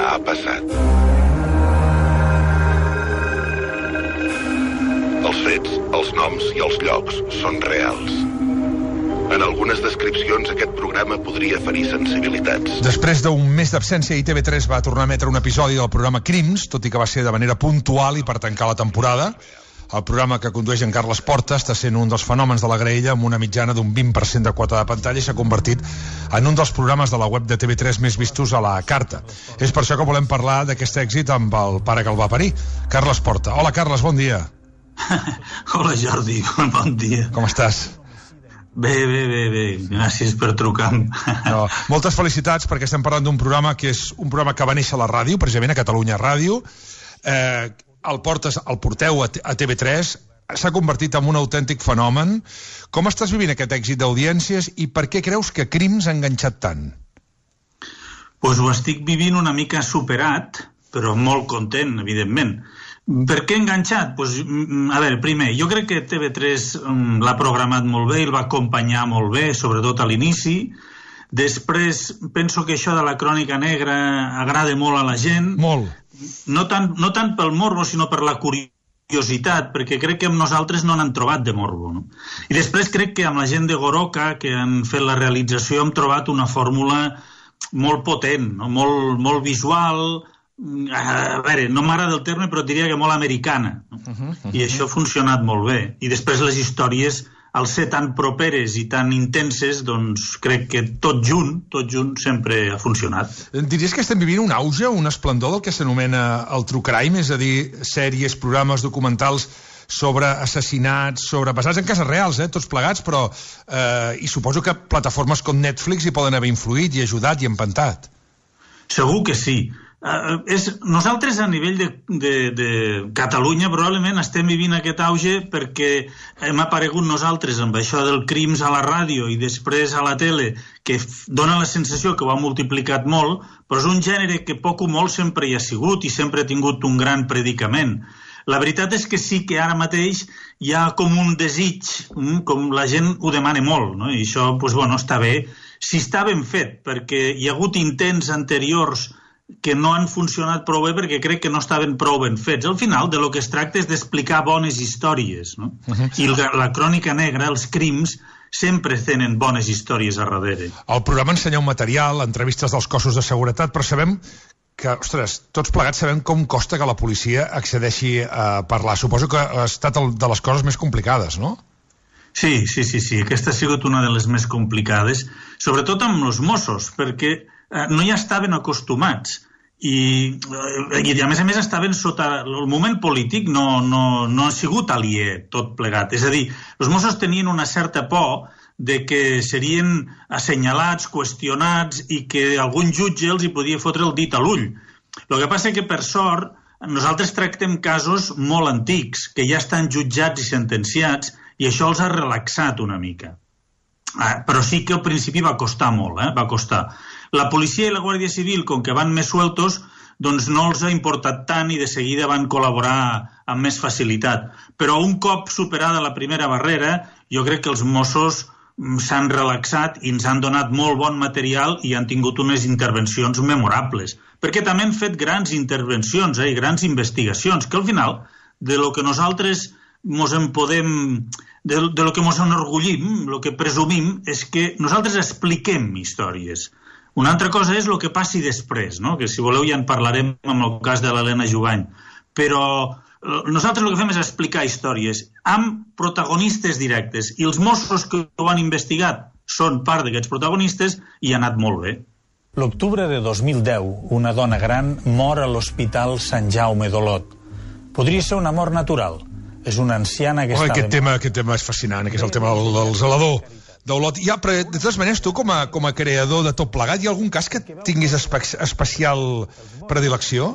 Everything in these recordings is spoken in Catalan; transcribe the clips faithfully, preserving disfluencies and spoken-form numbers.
ha passat. Els fets, els noms i els llocs són reals. En algunes descripcions aquest programa podria ferir sensibilitats. Després d'un mes d'absència, I T V tres va tornar a emetre un episodi del programa Crims, tot i que va ser de manera puntual i per tancar la temporada. El programa que condueix en Carles Porta està sent un dels fenòmens de la graella, amb una mitjana d'un vint per cent de quota de pantalla, i s'ha convertit en un dels programes de la web de T V tres més vistos a la carta. És per això que volem parlar d'aquest èxit amb el pare que el va parir, Carles Porta. Hola, Carles, bon dia. Hola, Jordi, bon dia. Com estàs? Bé, bé, bé, bé. Gràcies per trucar. No, moltes felicitats, perquè estem parlant d'un programa que és un programa que va néixer a la ràdio, precisament a Catalunya Ràdio. Eh, el portes, el porteu a T V tres, s'ha convertit en un autèntic fenomen. Com estàs vivint aquest èxit d'audiències i per què creus que Crims ha enganxat tant? Pues ho estic vivint una mica superat, però molt content, evidentment. Per què enganxat? Pues, a veure, primer, jo crec que T V tres l'ha programat molt bé i el va acompanyar molt bé, sobretot a l'inici. Després, penso que això de la crònica negra agrada molt a la gent. Molt. No tant, no tant pel morbo, sinó per la curiositat, perquè crec que amb nosaltres no n'han trobat de morbo. No? I després crec que amb la gent de Goroka, que han fet la realització, hem trobat una fórmula molt potent, no? molt, molt visual. A veure, no m'agrada el terme, però diria que molt americana. No? Uh -huh, uh -huh. I això ha funcionat molt bé. I després les històries, al ser tan properes i tan intenses, doncs crec que tot junt, tot junt sempre ha funcionat. Diries que estem vivint un auge, un esplendor del que s'anomena el true crime, és a dir, sèries, programes, documentals sobre assassinats, sobre basats en casos reals, eh, tots plegats, però eh, i suposo que plataformes com Netflix hi poden haver influït i ajudat i empantat. Segur que sí. Uh, és, nosaltres a nivell de, de, de Catalunya probablement estem vivint aquest auge perquè hem aparegut nosaltres amb això del Crims a la ràdio i després a la tele, que dona la sensació que ho ha multiplicat molt, però és un gènere que poc o molt sempre hi ha sigut i sempre ha tingut un gran predicament. La veritat és que sí que ara mateix hi ha com un desig, com la gent ho demana molt, no? I això, doncs, bueno, està bé. Si està ben fet, perquè hi ha hagut intents anteriors que no han funcionat prou bé perquè crec que no estaven prou ben fets. Al final, de lo que es tracta és d'explicar bones històries, no? Uh-huh. I la, la crònica negra, els crims, sempre tenen bones històries a darrere. El programa ensenya un material, entrevistes dels cossos de seguretat, però sabem que, ostres, tots plegats sabem com costa que la policia accedeixi a parlar. Suposo que ha estat el, de les coses més complicades, no? Sí, sí, sí, sí. Aquesta ha sigut una de les més complicades, sobretot amb els Mossos, perquè no hi estaven acostumats i, i a més a més estaven sota el moment polític, no, no, no ha sigut aliè tot plegat, és a dir, els Mossos tenien una certa por de que serien assenyalats, qüestionats i que algun jutge els hi podia fotre el dit a l'ull. El que passa que per sort nosaltres tractem casos molt antics que ja estan jutjats i sentenciats i això els ha relaxat una mica, ah, però sí que al principi va costar molt, eh? va costar. La policia i la Guàrdia Civil, com que van més sueltos, doncs no els ha importat tant i de seguida van col·laborar amb més facilitat. Però un cop superada la primera barrera, jo crec que els Mossos s'han relaxat i ens han donat molt bon material i han tingut unes intervencions memorables. Perquè també han fet grans intervencions eh, i grans investigacions, que al final, de lo que nosaltres mos en podem... De, de lo que mos enorgullim, el que presumim, és que nosaltres expliquem històries. Una altra cosa és el que passi després, no? Que si voleu ja en parlarem amb el cas de l'Helena Jubany. Però nosaltres el que fem és explicar històries amb protagonistes directes i els Mossos que ho han investigat són part d'aquests protagonistes i ha anat molt bé. L'octubre de dos mil deu, una dona gran mor a l'Hospital Sant Jaume d'Olot. Podria ser una mort natural. És una anciana que oh, estava... Aquest tema, aquest tema és fascinant, que és el tema del, del zelador d'Olot. Ja, però de totes maneres, tu com a, com a creador de tot plegat, hi ha algun cas que tinguis espe especial predilecció?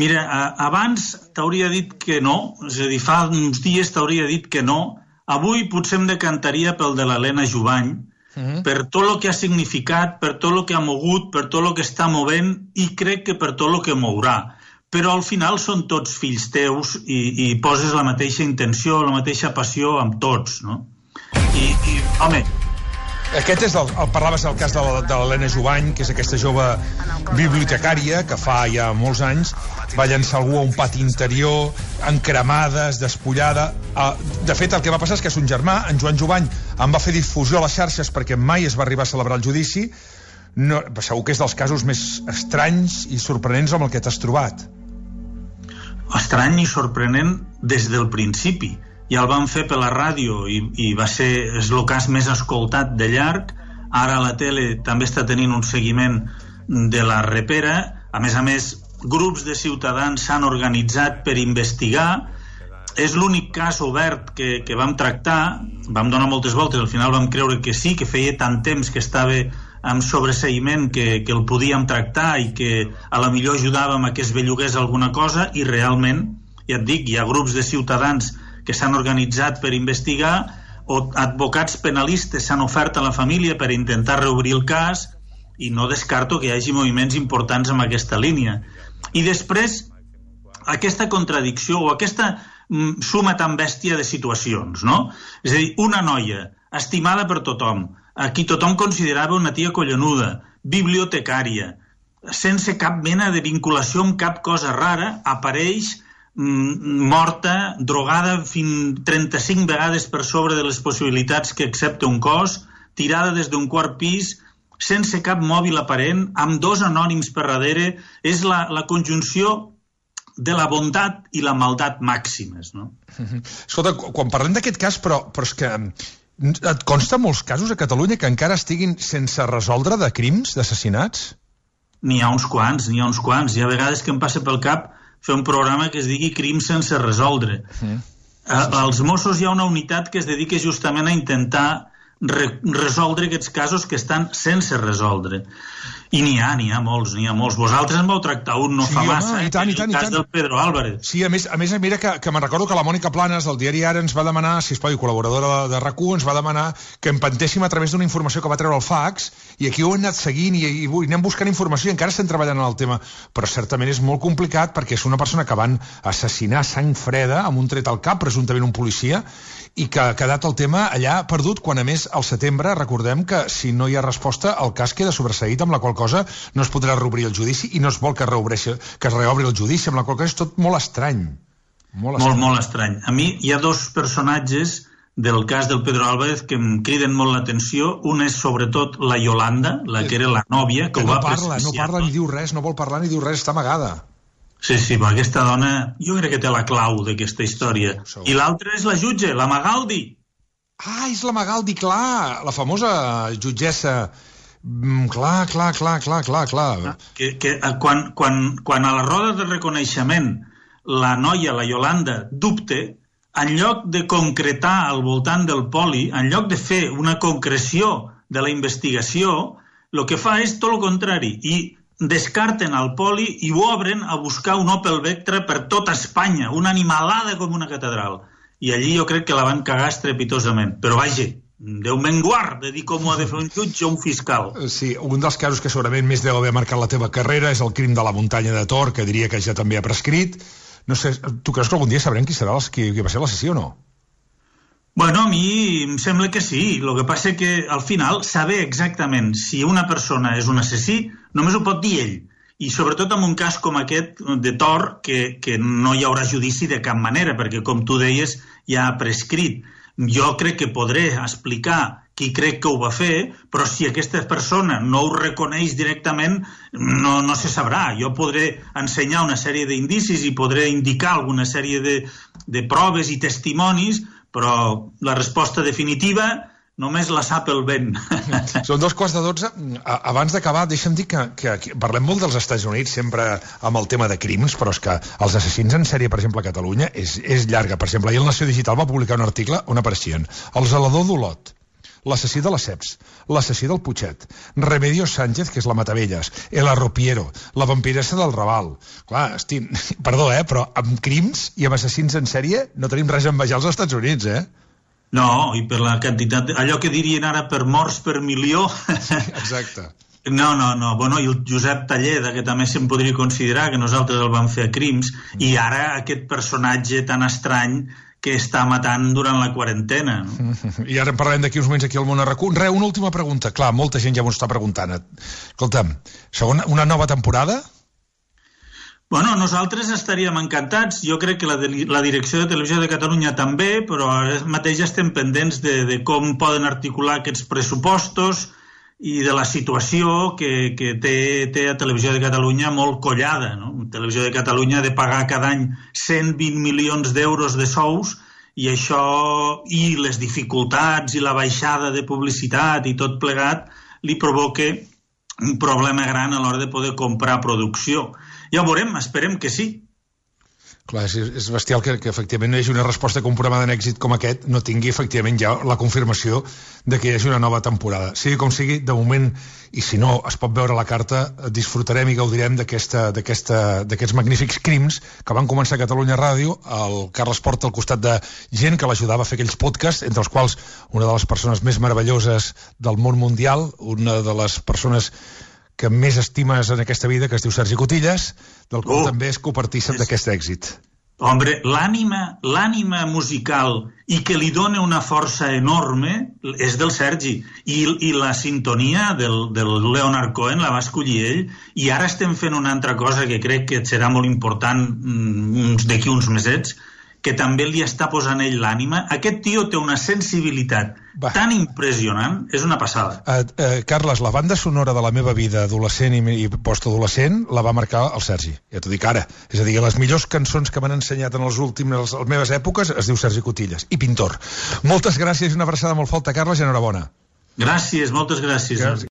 Mira, a, abans t'hauria dit que no, és a dir, fa uns dies t'hauria dit que no. Avui potser em decantaria pel de l'Helena Jubany, uh-huh. per tot el que ha significat, per tot el que ha mogut, per tot el que està movent i crec que per tot el que mourà. Però al final són tots fills teus i, i poses la mateixa intenció, la mateixa passió amb tots, no? I, i home, Aquest és el, el parlaves del cas de l'Helena Jovany, que és aquesta jove bibliotecària que fa ja molts anys va llançar algú a un pati interior, encremades, despullada. De fet, el que va passar és que son germà, en Joan Jovany, en va fer difusió a les xarxes perquè mai es va arribar a celebrar el judici. No, segur que és dels casos més estranys i sorprenents amb el que t'has trobat. Estrany i sorprenent des del principi. Ja el van fer per la ràdio i, i va ser és el cas més escoltat de llarg. Ara la tele també està tenint un seguiment de la repera. A més a més, grups de ciutadans s'han organitzat per investigar. És l'únic cas obert que, que vam tractar. Vam donar moltes voltes, al final vam creure que sí, que feia tant temps que estava amb sobreseïment que, que el podíem tractar i que a la millor ajudàvem a que es bellugués alguna cosa, i realment, ja et dic, hi ha grups de ciutadans que s'han organitzat per investigar, o advocats penalistes s'han ofert a la família per intentar reobrir el cas, i no descarto que hi hagi moviments importants en aquesta línia. I després, aquesta contradicció o aquesta mm, suma tan bèstia de situacions, no? És a dir, una noia estimada per tothom, a qui tothom considerava una tia collonuda, bibliotecària, sense cap mena de vinculació amb cap cosa rara, apareix mm, morta, drogada fins trenta-cinc vegades per sobre de les possibilitats que accepta un cos, tirada des d'un quart pis, sense cap mòbil aparent, amb dos anònims per darrere. És la, la conjunció de la bondat i la maldat màximes, no? Escolta, quan parlem d'aquest cas, però, però és que et consta molts casos a Catalunya que encara estiguin sense resoldre de crims, d'assassinats? N'hi ha uns quants, n'hi ha uns quants. Hi ha vegades que em passa pel cap fer un programa que es digui Crims sense resoldre. Sí. Als Mossos hi ha una unitat que es dedica justament a intentar re resoldre aquests casos que estan sense resoldre. I n'hi ha, n'hi ha molts, n'hi ha molts. Vosaltres en vau tractar un no sí, fa home, massa, i tant, i tant, el cas i tant. Del Pedro Álvarez. Sí, a més, a més mira que, que me'n recordo que la Mònica Planes del diari Ara ens va demanar, sisplau, col·laboradora de RAC u, ens va demanar que empentéssim a través d'una informació que va treure el fax, i aquí ho hem anat seguint i, i, i anem buscant informació i encara estem treballant en el tema. Però certament és molt complicat perquè és una persona que van assassinar sang freda amb un tret al cap, presumptament un policia, i que ha quedat el tema allà perdut, quan a més al setembre recordem que si no hi ha resposta el cas queda sobreseït, amb la qual cosa no es podrà reobrir el judici i no es vol que, que es reobri el judici, amb la qual cosa és tot molt estrany. Molt, estrany. molt, molt estrany. A mi hi ha dos personatges del cas del Pedro Álvarez que em criden molt l'atenció. Un és sobretot la Yolanda, la que era la nòvia, que, que ho va no parla, no parla ni diu res, no vol parlar ni diu res, està amagada. Sí, sí, però aquesta dona jo crec que té la clau d'aquesta història. Sí, I l'altra és la jutge, la Magaldi. Ah, és la Magaldi, clar, la famosa jutgessa. Mm, clar, clar, clar, clar, clar, clar. Que, que quan, quan, quan a la roda de reconeixement la noia, la Yolanda, dubte, en lloc de concretar al voltant del poli, en lloc de fer una concreció de la investigació, el que fa és tot el contrari, i descarten el poli i ho obren a buscar un Opel Vectra per tota Espanya, una animalada com una catedral. I allí jo crec que la van cagar estrepitosament. Però vaja, Déu me'n guard de dir com ho ha de fer un jutge o un fiscal. Sí, un dels casos que segurament més deu haver marcat la teva carrera és el crim de la muntanya de Tor, que diria que ja també ha prescrit. No sé, tu creus que algun dia sabrem qui serà els, qui, qui va ser l'assassí o no? Bueno, a mi em sembla que sí. El que passa que al final saber exactament si una persona és un assassí només ho pot dir ell. I sobretot en un cas com aquest de Tor, que, que no hi haurà judici de cap manera, perquè com tu deies ja ha prescrit. Jo crec que podré explicar qui crec que ho va fer, però si aquesta persona no ho reconeix directament, no, no se sabrà. Jo podré ensenyar una sèrie d'indicis i podré indicar alguna sèrie de, de proves i testimonis, però la resposta definitiva només la sap el vent. Són dos quarts de dotze. Abans d'acabar, deixa'm dir que, que, que parlem molt dels Estats Units, sempre amb el tema de crims, però és que els assassins en sèrie, per exemple, a Catalunya, és, és llarga. Per exemple, ahir el Nació Digital va publicar un article on apareixien el zelador d'Olot, l'assassí de les Ceps, l'assassí del Putxet, Remedios Sánchez, que és la Matavelles, el Arropiero, la vampiressa del Raval. Clar, estic... perdó, eh, però amb crims i amb assassins en sèrie no tenim res a envejar als Estats Units, eh? No, i per la quantitat... De... allò que dirien ara per morts per milió... Exacte. No, no, no. Bueno, i el Josep Talleda, que també se'n podria considerar, que nosaltres el vam fer a Crims, i ara aquest personatge tan estrany que està matant durant la quarantena. No? I ara en parlarem d'aquí uns moments aquí al Món a RAC u. Re, una última pregunta. Clar, molta gent ja m'ho està preguntant. Escolta'm, segona, una nova temporada? Bueno, nosaltres estaríem encantats. Jo crec que la, de, la Direcció de Televisió de Catalunya també, però ara mateix estem pendents de, de com poden articular aquests pressupostos i de la situació que, que té, té a Televisió de Catalunya molt collada. No? Televisió de Catalunya ha de pagar cada any cent vint milions d'euros de sous i això, i les dificultats i la baixada de publicitat i tot plegat, li provoca un problema gran a l'hora de poder comprar producció. Ja ho veurem, esperem que sí. Clar, és, és bestial que, que efectivament no hi hagi una resposta que un programa d'èxit com aquest no tingui efectivament ja la confirmació de que hi hagi una nova temporada. Sigui com sigui, de moment, i si no es pot veure la carta, disfrutarem i gaudirem d'aquests magnífics crims que van començar a Catalunya Ràdio, el Carles Porta al costat de gent que l'ajudava a fer aquells podcasts, entre els quals una de les persones més meravelloses del món mundial, una de les persones que més estimes en aquesta vida, que es diu Sergi Cotillas, del qual oh, també és copartícip d'aquest èxit. Hombre, l'ànima l'ànima musical i que li dona una força enorme és del Sergi. I, i la sintonia del, del Leonard Cohen la va escollir ell, i ara estem fent una altra cosa que crec que serà molt important mm, d'aquí uns mesets, que també li està posant ell l'ànima. Aquest tio té una sensibilitat Va. tan impressionant, és una passada. Uh, uh, Carles, la banda sonora de la meva vida adolescent i, i postadolescent la va marcar el Sergi, ja t'ho dic ara. És a dir, les millors cançons que m'han ensenyat en les últimes, les meves èpoques es diu Sergi Cotillas, i pintor. Moltes gràcies i una abraçada molt forta, Carles, i enhorabona. Gràcies, moltes gràcies. gràcies.